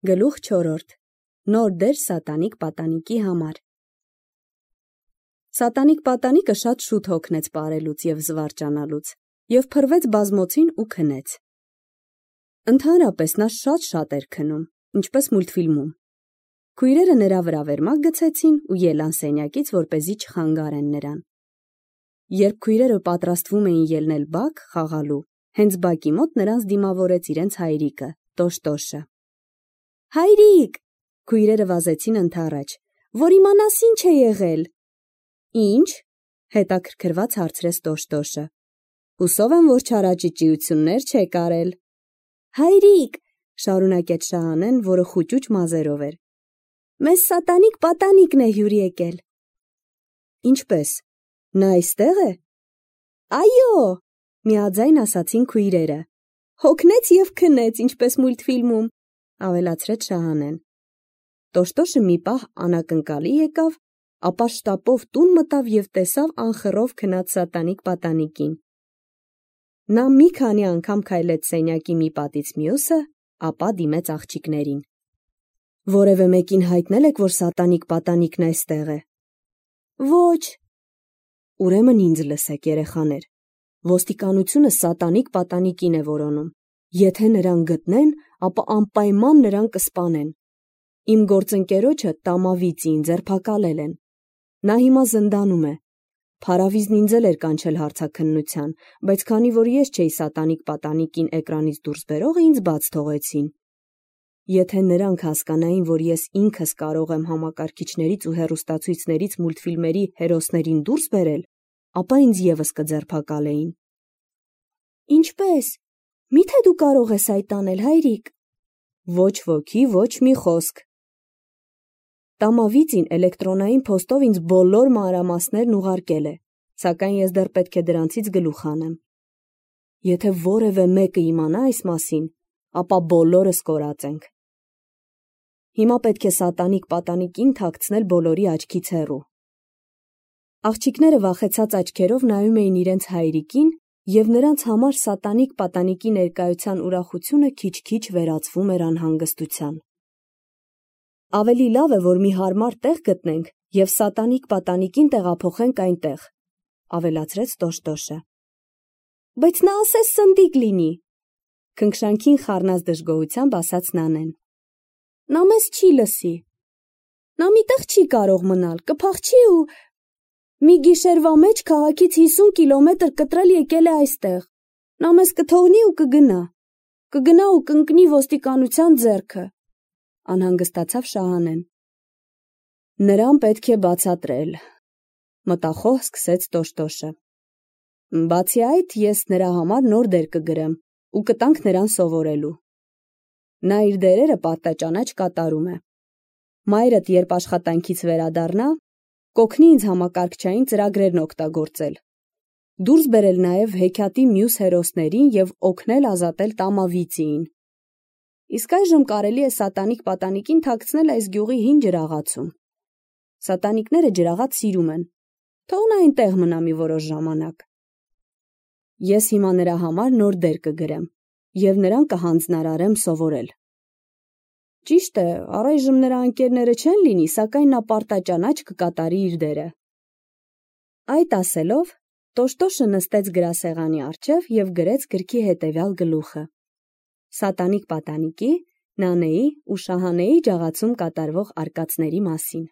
Գլուխ 4. Նոր դեր սատանիկ պատանիկի համար։ Սատանիկ պատանիկը շատ շուտ հոգնեց պարելուց և զվարճանալուց և փռվեց բազմոցին ու քնեց։ Ընդհանրապես նա շատ էր քնում, ինչպես մուլտֆիլմում։ Քույրերը նրա վրա վերմակ գցեցին ու ելան սենյակից, որպեսզի չխանգարեն նրան։ Երբ քույրերը պատրաստվում էին ելնել բակ խաղալու, հենց բակի մոտ նրանց դիմավորեց իրենց հայրիկը, Տոշտոշը։ Հայրիկ, քույրերը վազեցին ընդառաջ, որ իմանաս ինչ է եղել։ Ինչ, հետաքրքրված հարցրեց Տոշտոշը։ Հուսով եմ, որ չարաճճիություններ չեք արել։ Հայրիկ, շարունակեց Շահանեն, որը խուճուճ մազերով էր։ Մեզ սատանիկ պատանիկն է հյուր եկել։ Ինչպես, նա այստեղ է։ Այո, միաձայն ասացին քույրերը։ Հոգնեց և քնեց, ինչպես մուլտֆիլմում, ավելացրեց Շահանեն։ Տոշտոշը մի պահ անակնկալի եկավ, ապա շտապով տուն մտավ և տեսավ անխռով քնած սատանիկ պատանիկին։ Նա մի քանի անգամ քայլեց սենյակի մի պատից մյուսը, ապա դիմեց աղջիկներին։ Որևէ մեկին հայտնել եք, որ սատանիկ պատանիկն այստեղ է։ Ոչ։ Ուրեմն ինձ լսեք, երեխաներ։ Ոստիկանությունը սատանիկ պատանիկին է որոնում։ Եթե նրան գտնեն, ապա անպայման նրան կսպանեն։ Իմ գործընկերոջը Տամավիծին ձերբակալել են։ Նա հիմա զնդանում է։ Փարավիզն ինձ էլ էր կանչել հարցաքննության, բայց քանի որ ես չէի սատանիկ պատանիկին էկրանից դուրս բերողը, ինձ բաց թողեցին։ Եթե նրանք հասկանային, որ ես ինքս կարող եմ համակարգիչներից ու հեռուստացույցներից մուլտֆիլմերի հերոսներին դուրս բերել, ապա ինձ ևս կձերբակալեին։ Ինչպե՞ս։ Մի՞թե դու կարող ես այդ անել, հայրիկ։ Ոչ ոքի, ոչ մի խոսք։ Տամավիծին էլեկտրոնային փոստով ինձ բոլոր մանրամասներն ուղարկել է, սակայն ես դեռ պետք է դրանցից գլուխ հանեմ։ Եթե որևէ մեկը իմանա այս մասին, ապա բոլորս կորած ենք։ Հիմա պետք է սատանիկ պատանիկին թաքցնել բոլորի աչքից հեռու։ Աղջիկները վախեցած աչքերով նայում էին իրենց հայրիկին, և նրանց համար սատանիկ պատանիկի ներկայության ուրախությունը քիչ-քիչ վերածվում էր անհանգստության։ Ավելի լավ է, որ մի հարմար տեղ գտնենք և սատանիկ պատանիկին տեղափոխենք այնտեղ, ավելացրեց Տոշտոշը։ Բայց նա ասես սնդիկ լինի, քնքշանքին խառնած դժգոհությամբ ասաց Նանեն։ Նա մեզ չի լսի։ Նա միտեղ չի կարող մնալ, կփախչի ու… Մի գիշերվա մեջ քաղաքից 50 կիլոմետր կտրել եկել է այստեղ։ Նա մեզ կթողնի ու կգնա։ Կգնա ու կընկնի ոստիկանության ձեռքը, անհանգստացավ Շահանեն։ Նրան պետք է բացատրել, մտախոհ սկսեց Տոշտոշը։ Բացի այդ, ես նրա համար նոր դեր կգրեմ ու կտանք նրան սովորելու։ Նա իր դերերը պարտաճանաչ կատարում է։ Մայրդ, երբ աշխատանքից վերադառնա, կօգնի ինձ համակարգչային ծրագրերն օգտագործել, դուրս բերել նաև հեքիաթի մյուս հերոսներին և օգնել ազատել Տամավիծիին։ Իսկ այժմ կարելի է սատանիկ պատանիկին թաքցնել այս գյուղի հին ջրաղացում։ Սատանիկները ջրաղաց սիրում են։ Թող նա այնտեղ մնա մի որոշ ժամանակ։ Ես հիմա նրա համար նոր դեր կգրեմ և նրան կհանձնարարեմ սովորել։ Ճիշտ է, առայժմ նրա ընկերները չեն լինի, սակայն նա պարտաճանաչ կկատարի իր դերը։ Այդ ասելով, Տոշտոշը նստեց գրասեղանի առջև և գրեց գրքի հետևյալ գլուխը. Սատանիկ պատանիկի, Նանեի ու Շահանեի ջաղացում կատարվող արկածների մասին։